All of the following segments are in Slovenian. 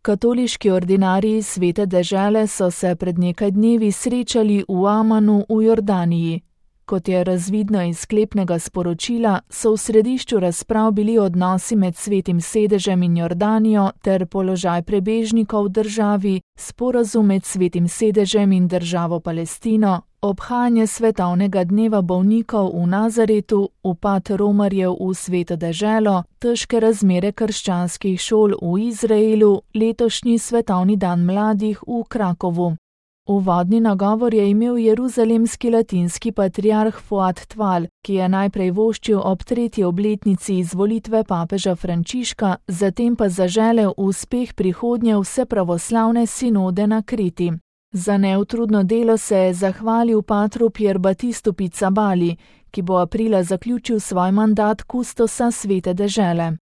Katoliški ordinariji Svete dežele so se pred nekaj dnevi srečali v Amanu v Jordaniji. Kot je razvidno iz sklepnega sporočila, so v središču razprav bili odnosi med Svetim sedežem in Jordanijo ter položaj prebežnikov v državi, sporazum med Svetim sedežem in državo Palestino, obhajanje svetovnega dneva bolnikov v Nazaretu, upad romarjev v Sveto deželo, težke razmere krščanskih šol v Izraelu, letošnji svetovni dan mladih v Krakovu. Uvodni nagovor je imel jeruzalemski latinski patriarh Fuad Tval, ki je najprej voščil ob 3. obletnici izvolitve papeža Frančiška, zatem pa zaželel uspeh prihodnje vsepravoslavne sinode na Kreti. Za neutrudno delo se je zahvalil patru Pierbatistu Pizzabali, ki bo aprila zaključil svoj mandat kustosa Svete dežele.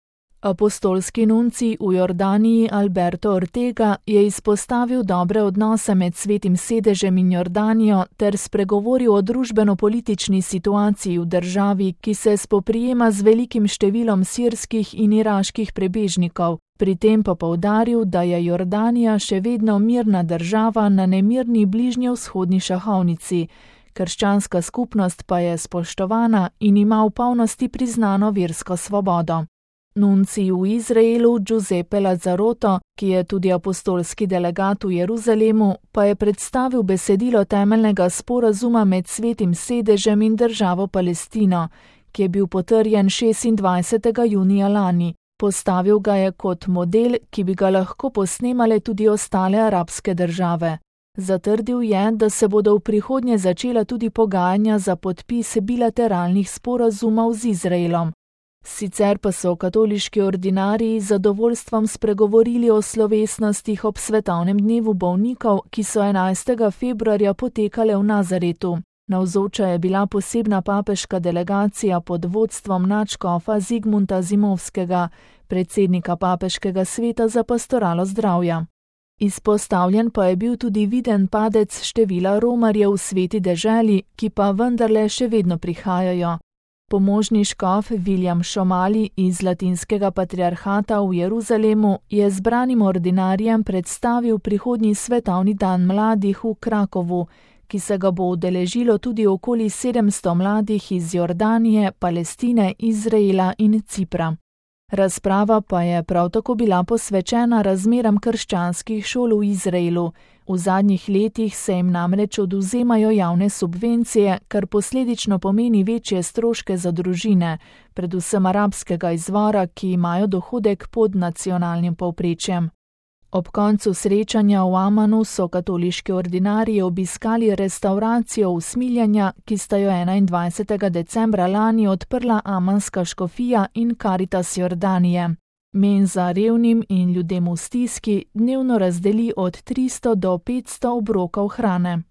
Apostolski nuncij v Jordaniji Alberto Ortega je izpostavil dobre odnose med Svetim sedežem in Jordanijo ter spregovoril o družbeno-politični situaciji v državi, ki se spoprijema z velikim številom sirskih in iraških prebežnikov. Pri tem pa poudaril, da je Jordanija še vedno mirna država na nemirni bližnjevzhodni šahovnici. Krščanska skupnost pa je spoštovana in ima v polnosti priznano versko svobodo. Nuncij v Izraelu Giuseppe Lazzaroto, ki je tudi apostolski delegat v Jeruzalemu, pa je predstavil besedilo temeljnega sporazuma med Svetim sedežem in državo Palestino, ki je bil potrjen 26. junija lani. Postavil ga je kot model, ki bi ga lahko posnemale tudi ostale arabske države. Zatrdil je, da se bodo v prihodnje začela tudi pogajanja za podpis bilateralnih sporazumov z Izraelom. Sicer pa so katoliški ordinariji z zadovoljstvom spregovorili o slovesnostih ob svetovnem dnevu bolnikov, ki so 11. februarja potekale v Nazaretu. Navzoča je bila posebna papeška delegacija pod vodstvom nadškofa Zigmunda Zimovskega, predsednika papeškega sveta za pastoralo zdravja. Izpostavljen pa je bil tudi viden padec števila romarjev v Sveti deželi, ki pa vendarle še vedno prihajajo. Pomožni škof William Šomali iz latinskega patriarhata v Jeruzalemu je zbranim ordinarijem predstavil prihodnji svetovni dan mladih v Krakovu, ki se ga bo udeležilo tudi okoli 700 mladih iz Jordanije, Palestine, Izraela in Cipra. Razprava pa je prav tako bila posvečena razmeram krščanskih šol v Izraelu. V zadnjih letih se jim namreč odvzemajo javne subvencije, kar posledično pomeni večje stroške za družine, predvsem arabskega izvora, ki imajo dohodek pod nacionalnim povprečjem. Ob koncu srečanja v Amanu so katoliški ordinariji obiskali restavracijo Usmiljanja, ki sta jo 21. decembra lani odprla amanska škofija in Karitas Jordanije. Menza revnim in ljudem v stiski dnevno razdeli od 300 do 500 obrokov hrane.